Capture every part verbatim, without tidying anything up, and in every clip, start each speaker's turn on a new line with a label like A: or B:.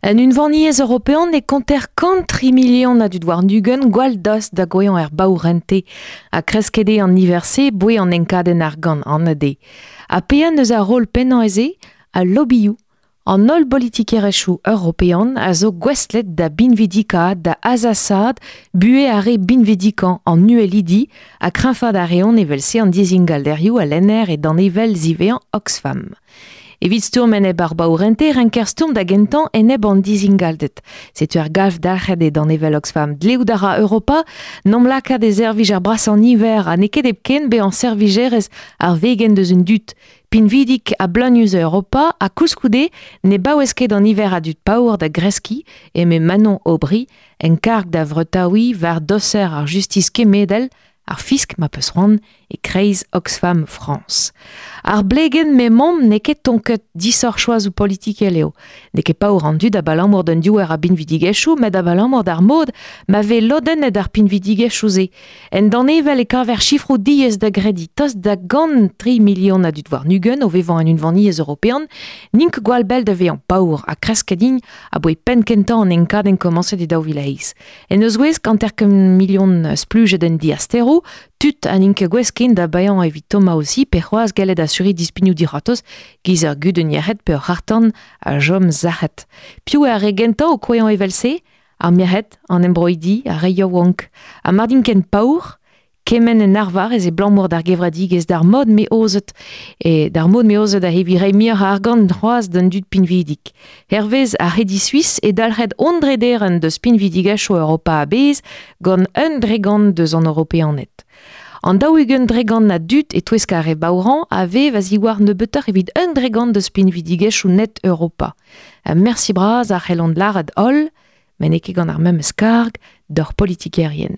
A: En unvaniezh european e konter kant tri milion a dud war nugen gwall dost da goueañ er baourente ha kresket eo an niver-se boe an enkadenn argant an ade. Ha pean eus ar rol pennañ ez eo al lobioù an holl bolitikerezhioù european a zo gouestlet da binvidikaat da azasaat buhez ar re binvidikañ an uhelidi ha kreñfaat ar reont evel-se an dizingalderioù a lenner e danevell ziwezhañ Oxfam. Evit stourm enep ar baourente renker stourm da gentañ enep an dizingalded. Setu ar galv dalc'het e danevell Oxfam dleout a ra Europa n'am lakaat e servij ar brasañ niver ha n'eo ket hepken bezañ servijerez ar vegenn deus un dud. Pinvidik ha bleunius Europa ha koulskoude ne baouez ket an niver a dud paour da greskiñ eme Manon Aubry en karg da vreutaouiñ war doser ar justis kemedel ar fisk ma peus c'hoant e kreiz Oxfam France. Ar blegenn m'emaomp n'eo ket tonket disoc'h choazoù politikel eo. N'eo ket paour an dud abalamour d'un diouer a binvidigezhioù met abalamour d'ar mod ma vez lodennet ar pinvidigezhioù-se. En danevell e kaver sifroù diaes da grediñ tost da gant tri milion a dud war nugen o vevañ en unvaniezh european n'int ket gwall bell da vezañ paour ha kresket int aboe penn kentañ an enkadenn komañset e daou vil eizh. En eus gwezh hanter-kant milion splujet en diasteroù, tud ha n'int ket gouest ken da baeañ evit tommañ aussi pe c'hoazh gallet asuriñ dispignoù dic'hortoz giz ur gudenn yec'hed pe ur c'harr-tan a chom sac'het. Piv eo ar re gentañ o kouezhañ evel-se? Ar merc'hed, an embroidi, ar re yaouank. Ha mar dint ken paour, kement en arvar ez eo abalamour d'ar gevredigezh d'ar mod m'eo-ozet e d'ar mod m'eo-ozet a evit reiñ muioc'h a argant c'hoazh d'an dud pinvidik. Hervez ar C'hredit Suisse e dalc'het un drederenn deus pinvidigezhioù Europa a-bezh gant un dregont deus an Europeaned. An daou-ugent dregont a dud e-touesk ar re baourañ a vev a-ziwar nebeutoc'h evit un dregont deus pinvidigezhioù net Europa. Ha mersi bras a c'hellont lâret holl, met n'eo ket gant ar memes karg d'hor politikerien.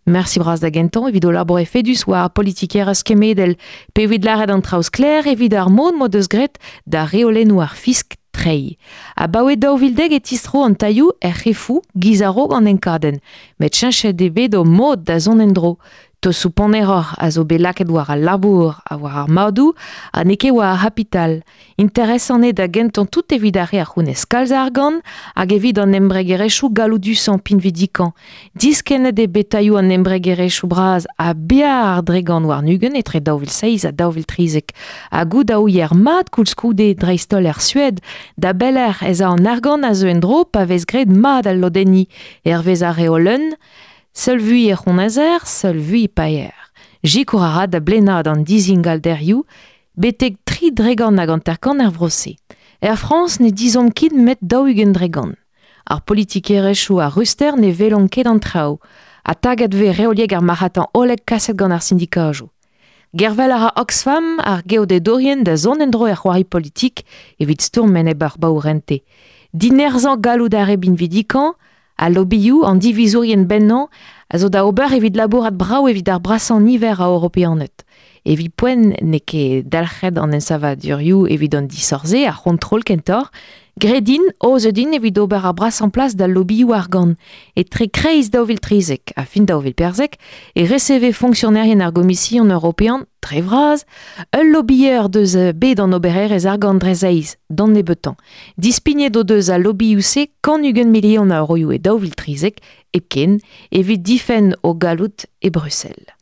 A: Mersi bras da gentañ evit o labour efedus war ar politikerezh kemedel pe evit lâret an traoù sklaer evit ar mod m'o deus graet da reolennoù ar fisk treiñ. Abaoe daou vil dek e tistro an tailhoù er c'hefoù giz a-raok an enkadenn, met cheñchet eo bet o mod da zont en-dro. Tosoù ponneroc'h a zo bet lakaet war al labour ha war ar madoù ha n'eo ket war ar c'hapital. Interesant eo da gentañ tout evit ar re a c'hounez kalz argant hag evit an embregerezhioù galloudusañ pinvidikañ. Diskennet eo bet tailhoù an embregerezhioù bras ha bezañ ar dregont warn-ugent etre daou vil seizh ha daou vil trizek. Ha goût a ouier mat koulskoude dreist-holl er Sued, da belec'h ez a an argant a zeu en-dro pa vez graet mat al lodenniñ. Hervez ar reolenn, seul vui e c'honezer, seul vui e paeer. Sikour a ra da blenaat an dizingalderioù, betek tri dregont hag hanter-kant er vro-se. Er Frañs ne dizomp ket met daou-ugent dregont. Ar politikerezhioù ar ruster ne welont ket an traoù, ha taget vez reoliek ar marc'hatañ hollek kaset gant ar sindikajoù. Gervel a ra Oxfam ar geodedourien da zont en-dro er c'hoari politik evit stourm enep ar baourente. Dinerzhañ galloud ar re binvidikañ, al lobioù an divizourien bennañ a zo da ober evit labourat brav evit ar brasañ niver a Europeaned. Evit poent n'eo ket dalc'het an ensavadurioù evit an disoc'h-se ar c'hontrol kentoc'h, graet int, aozet int evit ober ar brasañ plas d'al lobioù argant. Etre kreiz daou vil trizek ha fin daou vil perzek e reseve fonksionerien ar Gomision european dre vras, ul lobier deus bet an obererezh argant dre seizh, d'an nebeutañ. Dispignet o deus al lobioù-se kant ugent milion a euroioù e daou vil trizek hepken evit difenn o galloud e Bruxelles.